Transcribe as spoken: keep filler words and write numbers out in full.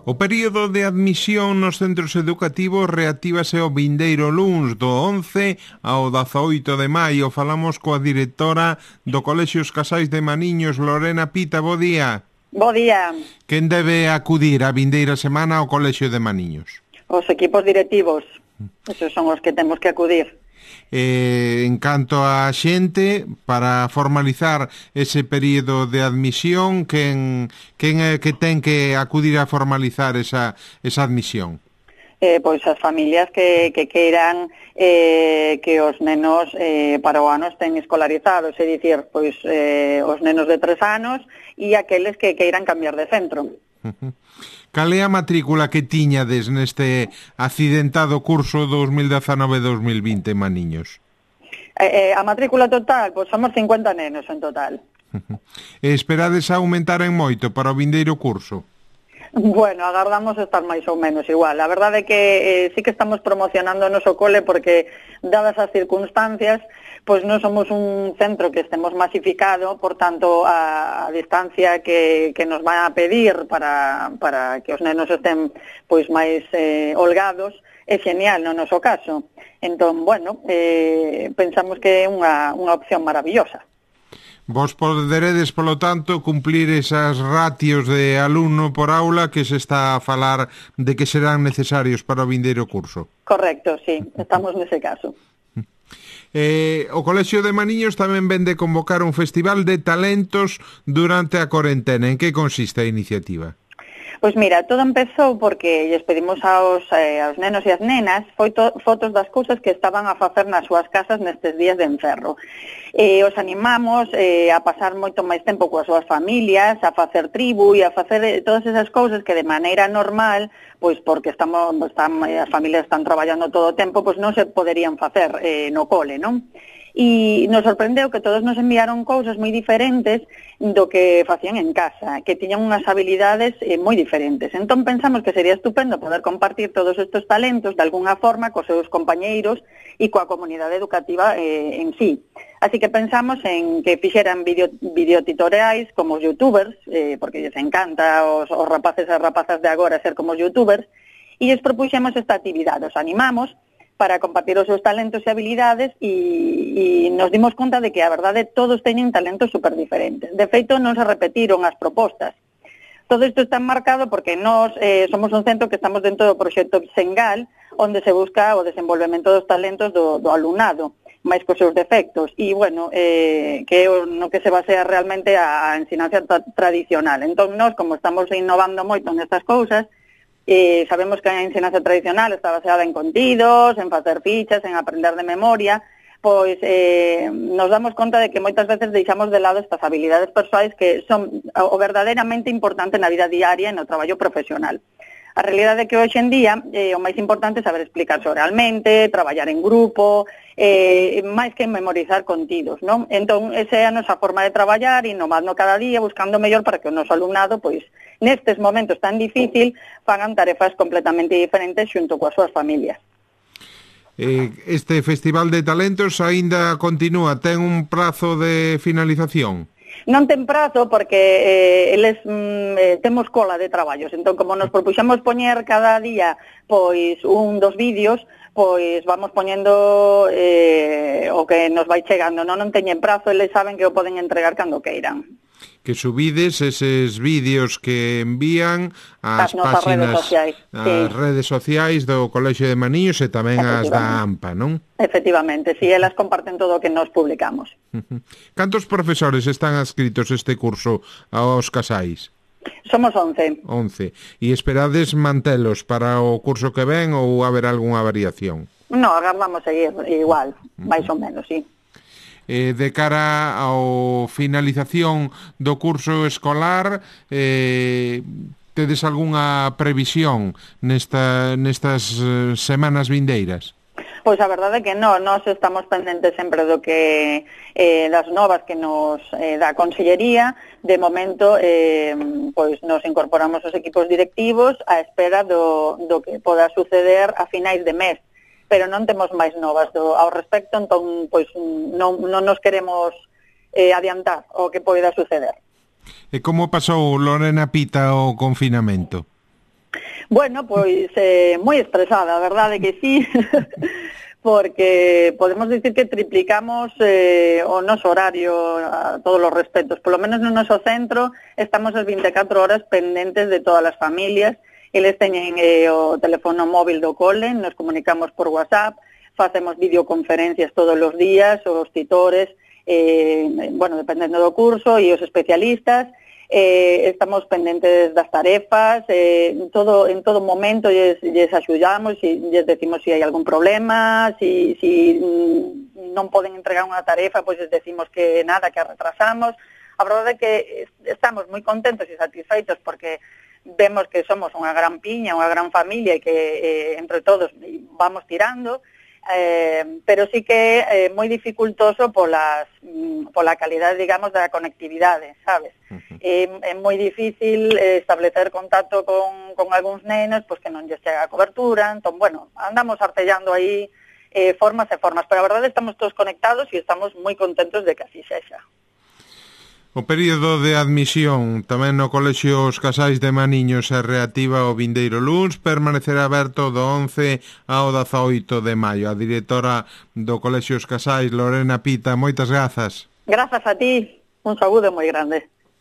O período de admisión nos centros educativos reactívase o vindeiro luns do once ao dezaoito de maio. Falamos coa directora do Colexio Os Casais de Maniños, Lorena Pita. Bo día. Bo día. Quen debe acudir a vindeira semana ao Colexio de Maniños? Os equipos directivos. Esos son os que temos que acudir. Eh, en canto a xente, para formalizar ese período de admisión, quen, quen é que ten que acudir a formalizar esa, esa admisión? Eh, pois as familias que, que queiran eh, que os nenos eh, para o ano estén escolarizados, é dicir, pois eh, os nenos de tres anos e aqueles que queiran cambiar de centro. Uh-huh. Cal é a matrícula que tiñades neste accidentado curso dos mil dezanove dos mil vinte, Maniños? Eh, eh, a matrícula total, pois somos cincuenta nenos en total. Uh-huh. E esperades a aumentar en moito para o vindeiro curso? Bueno, agardamos estar máis ou menos igual. A verdade é que eh, sí que estamos promocionando o noso cole porque, dadas as circunstancias, pois non somos un centro que estemos masificado, por tanto, a, a distancia que, que nos van a pedir para, para que os nenos estén pois máis eh, holgados é genial no noso caso. Entón, bueno, eh, pensamos que é unha, unha opción maravillosa. Vos poderedes, polo tanto, cumplir esas ratios de alumno por aula que se está a falar de que serán necesarios para o vindeiro curso. Correcto, sí, estamos nese caso. Eh, o Colexio de Maniños tamén vende convocar un festival de talentos durante a corentena. En que consiste a iniciativa? Pois mira, todo empezou porque lles pedimos aos, eh, aos nenos e as nenas foto, fotos das cousas que estaban a facer nas súas casas nestes días de encerro. E os animamos eh, a pasar moito máis tempo coas súas familias, a facer tribu e a facer eh, todas esas cousas que de maneira normal, pois porque estamos, están, as familias están traballando todo o tempo, pois non se poderían facer eh, no cole, non? E nos sorprendeu que todos nos enviaron cousas moi diferentes do que facían en casa, que tiñan unhas habilidades eh, moi diferentes. Entón pensamos que sería estupendo poder compartir todos estes talentos de alguna forma cos seus compañeiros e coa comunidade educativa eh, en sí. Así que pensamos en que fixeran video, videotutoriais como os youtubers, eh, porque lles encanta os, os rapaces e rapazas de agora ser como os youtubers, e lles propuxemos esta actividade, os animamos para compartir os seus talentos e habilidades e, e nos dimos conta de que, a verdade, todos teñen talentos super diferentes. De feito, non se repetiron as propostas. Todo isto está marcado porque nós eh, somos un centro que estamos dentro do proxecto Sengal, onde se busca o desenvolvemento dos talentos do, do alumnado, máis cos seus defectos. E, bueno, eh, que é no que se basea realmente a, a ensinanza tra tradicional. Entón, nós, como estamos innovando moito nestas cousas, Eh, sabemos que a ensinanza tradicional está baseada en contidos, en facer fichas, en aprender de memoria, pois eh, nos damos conta de que moitas veces deixamos de lado estas habilidades persoais que son o verdadeiramente importante na vida diaria e no traballo profesional. A realidade é que hoxe en día eh, o máis importante é saber explicarse oralmente, traballar en grupo, eh, máis que memorizar contidos, non? Entón, esa é a nosa forma de traballar, innovando cada día, buscando mellor para que o noso alumnado, pois, nestes momentos tan difícil, fagan tarefas completamente diferentes xunto coas súas familias. Eh, este Festival de Talentos aínda continúa, ten un prazo de finalización? Non ten prazo porque eh, eles mm, eh, temos cola de traballos. Entón, como nos propuxemos poñer cada día pois un dos vídeos, pois vamos poñendo eh, o que nos vai chegando. Non, non teñen prazo, eles saben que o poden entregar cando queiran. Que subides eses vídeos que envían ás páxinas, redes sociais, ás sí. redes sociais do Colexio de Maniños e tamén as da AMPA, non? Efectivamente, si, sí, elas comparten todo o que nos publicamos. Cantos profesores están adscritos este curso aos casais? Somos once. Once. E esperades mantelos para o curso que ven ou haber algunha variación? No, agardamos seguir igual, máis ou menos, sí. Eh, de cara ao finalización do curso escolar, eh, tedes algunha previsión nesta, nestas eh, semanas vindeiras? Pois a verdade é que non, nós estamos pendentes sempre do que eh, das novas que nos eh, dá a Consellería. De momento, eh, pois nos incorporamos os equipos directivos á espera do, do que poda suceder a finais de mes. Pero non temos máis novas do, ao respecto, entón pois non, non nos queremos eh, adiantar o que poida suceder. E como pasou, Lorena Pita, o confinamento? Bueno, pois eh, moi estresada, a verdade que sí, porque podemos dicir que triplicamos eh, o noso horario a todos os respectos. Por lo menos no noso centro estamos as vinte e catro horas pendentes de todas as familias. Eles teñen eh, o teléfono móvil do cole, nos comunicamos por WhatsApp, facemos videoconferencias todos os días, os titores, eh, bueno, dependendo do curso, e os especialistas. Eh, estamos pendentes das tarefas, eh, en todo en todo momento lles, lles axudamos, e lles decimos se si hai algún problema, si, si non poden entregar unha tarefa, pois lles decimos que nada, que a retrasamos. A verdade é que estamos moi contentos e satisfeitos porque vemos que somos unha gran piña, unha gran familia e que eh, entre todos vamos tirando. Eh, pero sí que é eh, moi dificultoso polas, mm, pola calidade, digamos, da conectividade, sabes? Uh-huh. É, é moi difícil eh, establecer contacto con, con algúns nenos, pois que non lles chega a cobertura, entón, bueno, andamos artellando aí eh, formas e formas, pero a verdade estamos todos conectados e estamos moi contentos de que así sexa. O período de admisión tamén no Colexio Os Casais de Maniños se reactiva o vindeiro luns, permanecerá aberto do once ao dezaoito de maio. A directora do Colexio Os Casais, Lorena Pita, moitas grazas. Grazas a ti, un saúdo moi grande.